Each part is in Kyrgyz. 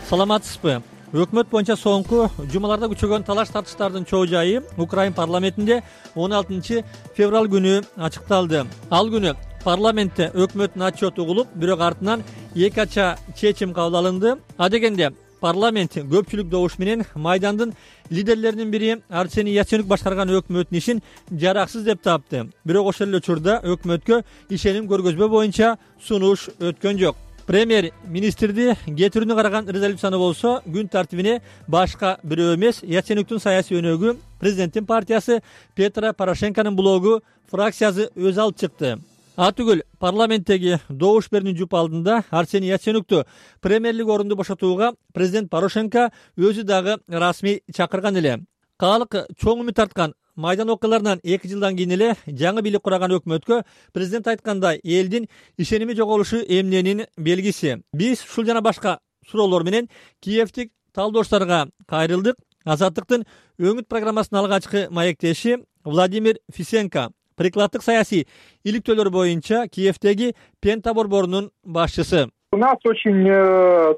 Саламатсызбы? Өкмөт боюнча соңку жумаларда күчөгөн талаш тартыштардын чоо жайы Украин парламентинде 16 февраль күнү ачыкталды. Ал күнү парламентте өкмөттүн отчету угулуп, бирок артынан эки ача чечим кабыл алынды. Адегенде парламент көпчүлүк добуш менен Майдандын лидерлеринин бири Арсений Яценюк башкарган өкмөттүн ишин жараксыз деп тапты. Бирок ошол эле учурда өкмөткө ишеним көргөзбөө боюнча сунуш өткөн жок. Премьер-министрди кетирүүнү караган резолюцияны болсо күн тартибине башка бирөө эмес, Яценюктун саясий өнөгү президенттин партиясы Петро Порошенконун блогу фракциясы өз алып чыкты. Атүгүл парламенттеги добуш берүүнүн жуп алдында Арсений Яценюкту премьерлик орунду бошотууга президент Порошенко өзү дагы расмий чакырган эле. Калк чоң үмүт арткан Майдан окуяларынан 2 жылдан кийин эле жаңы бийлик кураган өкмөткө президент айткандай элдин ишеними жоголушу эмненин белгиси. Биз ушул жана башка суроолор менен Киевтик талдошторго кайрылдык. Азаттыктын өңүт программасынын алгачкы маектеши Владимир Фисенко, прикладдык саясий иликтөөлөр боюнча Киевтеги Пента борборунун башчысы. У нас очень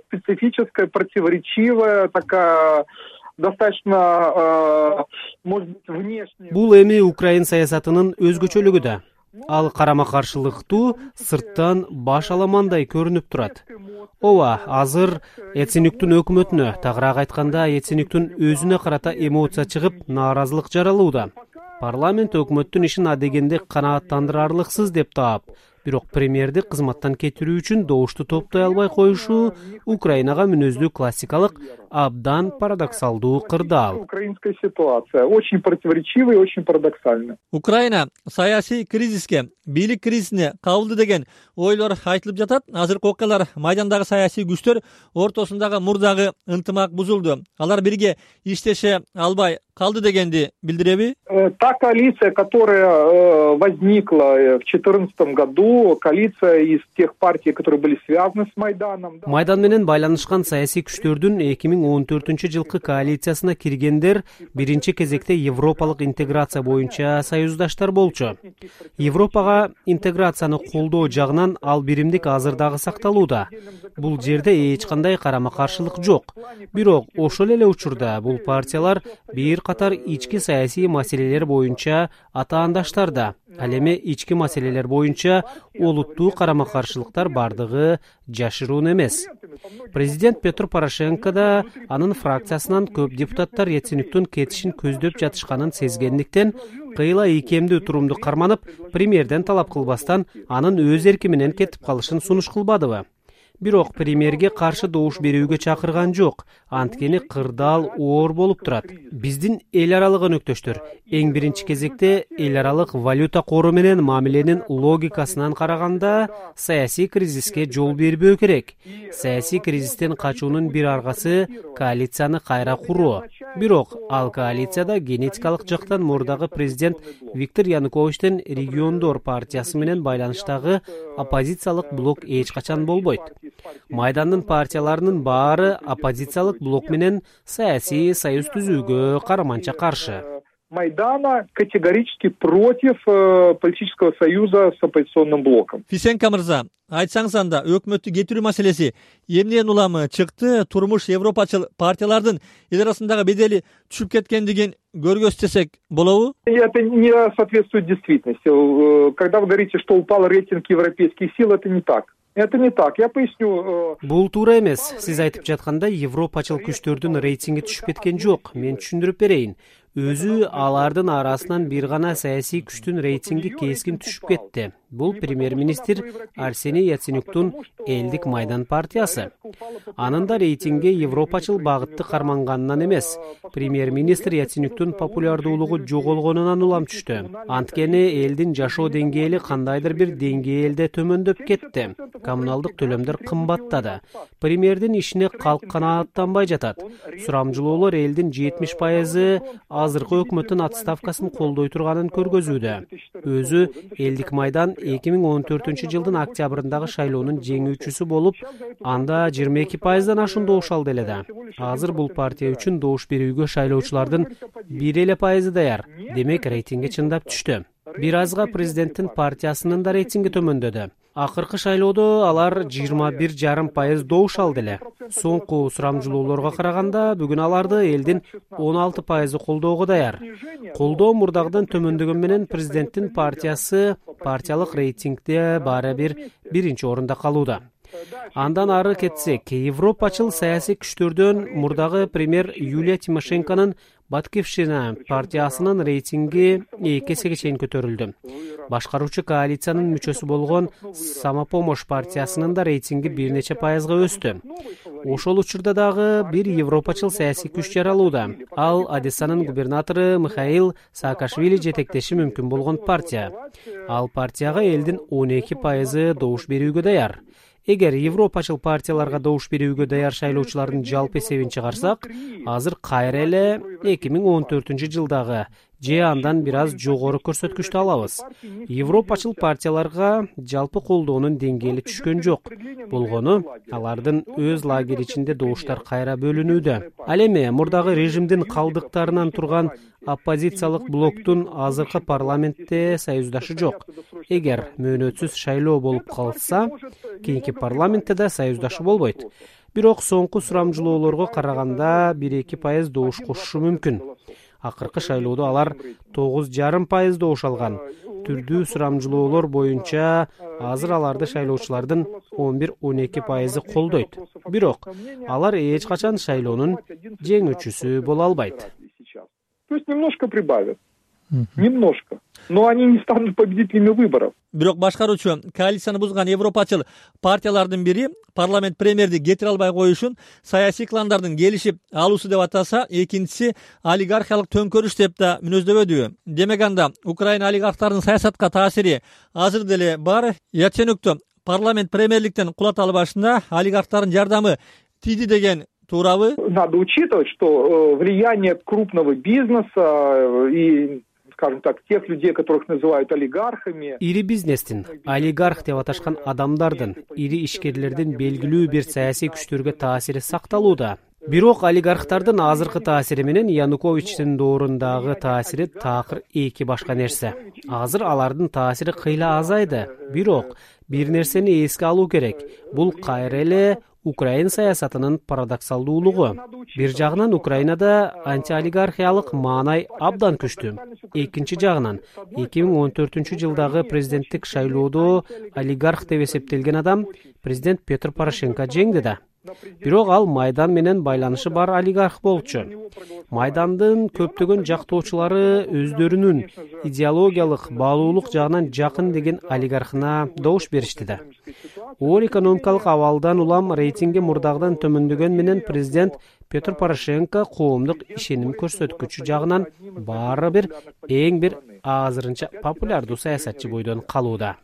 специфическая, противоречивая такая достаточно, может быть, внешне. Бул эми Украин саясатынын өзгөчөлүгү да. Ал карама-каршылыктуу, сырттан баш аламандай көрүнүп турат. Ооба, азыр Яценюктун өкмөтүнө, тагыраак айтканда Яценюктун өзүнө карата эмоция чыгып, нааразылык жаралууда. Парламент өкмөттүн ишин адегенде канааттандырарлыксыз деп таап, бирок премьерди кызматтан кетирүү үчүн добушту топтой албай коюшу Украинага мүнөздүү классикалык, абдан парадоксалдуу кырдаал. Украинская ситуация очень противоречивая и очень парадоксальная. Украина саясий кризиске, бийлик кризисине кабылды деген ойлор айтылып жатат. Азыркы окуялар Майдандагы саясий күчтөр ортосундагы мурдагы ынтымак бузулду. Алар бирге иштеше албай калды дегенди билдиреби? Та коалиция, которая возникла в 2014 году, коалиция из тех партий, которые были связаны с Майданом. Майдан менен байланышкан саясий күчтөрдүн 2014-жылкы коалициясына киргендер биринчи кезекте европалык интеграция боюнча союздаштар болчу. Европага интеграцияны колдоо жагынан ал биримдик азыр дагы сакталууда. Бул жерде эч кандай карама-каршылык жок. Бирок ошол эле учурда бул партиялар бир катар ички саясий маселелер боюнча атаандаштар да. Ал эми ички маселелер боюнча олуттуу карама-каршылыктар бардыгы жашыруун эмес. Президент Петр Порошенко да анын фракциясынан көп депутаттар Яценюктун кетишин көздөп жатышканын сезгендиктен кыйла ийкемдүү турумду карманып, премьерден талап кылбастан анын өз эрки менен кетип калышын сунуш кылбадыбы? Бирок премьерге каршы добуш берүүгө чакырган жок. Анткени кырдаал оор болуп турат. Биздин эл аралык өнөктөштөр эң биринчи кезекте эл аралык валюта кору менен мамиленин логикасынан караганда саясий кризиске жол бербөө керек. Саясий кризистен качуунун бир аргасы коалицияны кайра куруу. Бирок ал коалицияда генетикалык жактан мурдагы президент Виктор Януковичтин региондор партиясы менен байланыштагы оппозициялык блок эч качан болбойт. Майдандын партияларынын баары оппозициялык блок менен саясий союз түзүүгө караманча каршы. Майдана категорически против политического союза с оппозиционным блоком. Фисенко мырза, айтсаңыз анда өкмөттү кетирүү маселеси эмнеден уламы чыкты? Турмуш европачыл партиялардын эл арасындагы бедели түшүп кеткендигин көргөзсөк болобу? Это не соответствует действительности. Когда вы говорите, что упал рейтинг европейских сил, это не так. Это не так. Я поясню. Бул туура эмес. Сиз айтып жаткандай европачыл күчтөрдүн рейтинги түшүп кеткен жок. Мен түшүндүрүп берейин. Өзү алардын арасынан бир гана саясий күчтүн рейтинги кескин түшүп кетти. Бул премьер-министр Арсений Яценюктун элдик Майдан партиясы. Анын да рейтинги европачыл багытты карманганынан эмес, премьер-министр Яценюктун популярдуулугу жоголгонунан улам түштү. Анткени элдин жашоо деңгээли кандайдыр бир деңгээлде төмөндөп кетти. Коммуналдык төлөмдөр кымбаттады. Премьердин ишине калк канааттанбай жатат. Сурамжылоолор элдин 70% азыркы өкмөттүн отставкасын колдой турганын көргөзүүдө. Өзү элдик Майдан 2014-жылдын октябрындагы шайлоонун жеңүүчүсү болуп, анда 22%дан ашуун добуш алды эле да. Азыр бул партия үчүн добуш берүүгө шайлоочулардын 1% даяр. Демек рейтинги чындап түштү. Бир азга президенттин партиясынын да рейтинги төмөндөдү. Акыркы шайлоодо алар 21,5% добуш алды эле. Соңку сурамжылоолорго караганда бүгүн аларды элдин 16% колдоого даяр. Колдоо мурдагыдан төмөндөгөн менен президенттин партиясы партиялык рейтингде баары бир биринчи орунда калууда. Андан ары кетсек, европачыл саясий күчтөрдөн мурдагы премьер Юлия Тимошенконун Батькивщина партиясынын рейтинги 2 эсеге чейин көтөрүлдү. Башкаруучу коалициянын мүчөсү болгон Самопомощь партиясынын да рейтинги бир нече пайызга өстү. Ошол учурда дагы бир европачыл саясий күч жаралууда. Ал Одессанын губернатору Михаил Саакашвили жетектеши мүмкүн болгон партия. Ал партияга элдин 12% добуш берүүгө даяр. Эгер европачыл партияларга добуш берүүгө даяр шайлоочулардын жалпы эсебин чыгарсак, азыр кайра эле 2014-жылдагы же андан бир аз жогору көрсөткүчтү алабыз. Европачыл партияларга жалпы колдоонун деңгээли түшкөн жок. Болгону алардын өз лагери ичинде добуштар кайра бөлүнүүдө. Ал эми мурдагы режимдин калдыктарынан турган оппозициялык блоктун азыркы парламентте союздашы жок. Эгер мөөнөтсүз шайлоо болуп калса, кийинки парламентте да союздашы болбойт. Бирок соңку сурамжылоолорго караганда 1-2% добуш кошушу мүмкүн. Акыркы шайлоодо алар 9,5% добуш алган. Түрдүү сурамжылоолор боюнча азыр аларды шайлоочулардын 11-12% колдойт. Бирок алар эч качан шайлоонун жеңүүчүсү боло албайт. То есть немножко прибавят. Немножко. Но они не станут победителями выборов. Бирок башкаруучу коалицияны бузган европачыл партиялардын бири парламент премьерди кетире албай коюшун саясий кландардын келишип алуусу деп атаса, экинчиси олигархиялык төңкөрүш деп да мүнөздөбөдү. Демек анда Украина олигархтарынын саясатка таасири азыр деле бар. Яценюкту парламент премьерликтен кулата албашында олигархтардын жардамы тийди деген туурабы? Надо учитывать, что влияние крупного бизнеса и, скажем так, тех людей, которых называют олигархами. Ири бизнестин, олигарх деп аташкан адамдардын, ири ишкерлердин белгилүү бир саясий күчтөргө таасири сакталууда. Бирок олигархтардын азыркы таасири менен Януковичтин доорундагы таасири такыр эки башка нерсе. Азыр алардын таасири кыйла азайды. Бирок бир нерсени эске алуу керек. Бул кайра эле Украина саясатынын парадоксалдуулугу. Бир жагынан Украинада антиолигархиялык маанай абдан күчтүү. Экинчи жагынан 2014-жылдагы президенттик шайлоодо олигарх деп эсептелген адам президент Петр Порошенко жеңди да. Бирок ал Майдан менен байланышы бар олигарх болчу. Майдандын көптөгөн жактоочулары өздөрүнүн идеологиялык баалуулук жагынан жакын деген олигархына добуш беришти да. Оор экономикалык абалдан улам рейтинги мурдагыдан төмөндөгөн менен президент Петр Порошенко коомдук ишеним көрсөткүчү жагынан баары бир эң бир азырынча популярдуу саясатчы бойдон калууда.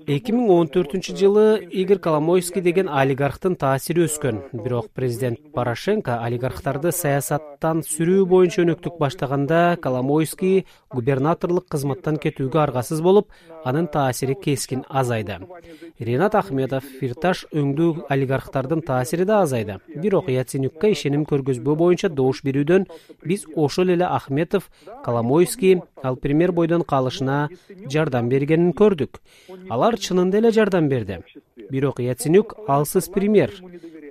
2014-жылы Игорь Коломойский деген олигархтын таасири өскөн. Бирок президент Порошенко олигархтарды саясаттан сүрүү боюнча өнөктүк баштаганда Коломойский губернаторлук кызматтан кетүүгө аргасыз болуп, анын таасири кескин азайды. Ренат Ахметов, Фирташ өңдүү олигархтардын таасири да азайды. Бирок Яценюкка ишеним көргөзбөө боюнча добуш берүүдөн биз ошол эле Ахметов, Коломойский ал премьер бойдон калышына жардам бергенин көрдүк. Алар чынында эле жардам берди. Бирок Яценюк алсыз премьер.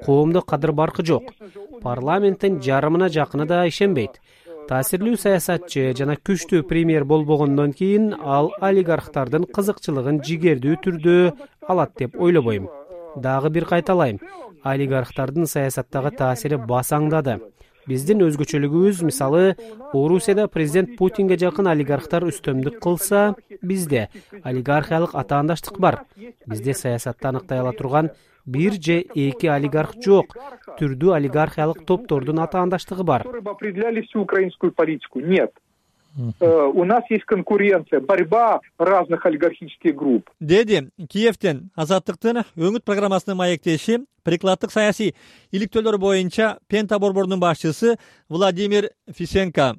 Коомдо кадыр баркы жок. Парламенттин жарымына жакыны да ишенбейт. Таасирлүү саясатчы жана күчтүү премьер болбогондон кийин ал олигархтардын кызыкчылыгын жигердүү түрдө алат деп ойлобойм. Дагы бир кайталайм. Олигархтардын саясаттагы таасири басаңдады. Биздин өзгөчөлүгүбүз, мисалы, Орусияда президент Путинге жакын олигархтар үстөмдүк кылса, бизде олигархиялык атаандаштык бар. Бизде саясатты аныктай ала турган бир же эки олигарх жок. Түрдүү олигархиялык топтордун атаандаштыгы бар. Определяли всю украинскую политику. Нет. У нас есть конкуренция, борьба разных олигархических групп. Деди Киевтен Азаттыктын өңүт программасынын маектеши прикладдык саясий иликтөөлөр боюнча Пента борборунун башчысы Владимир Фисенко.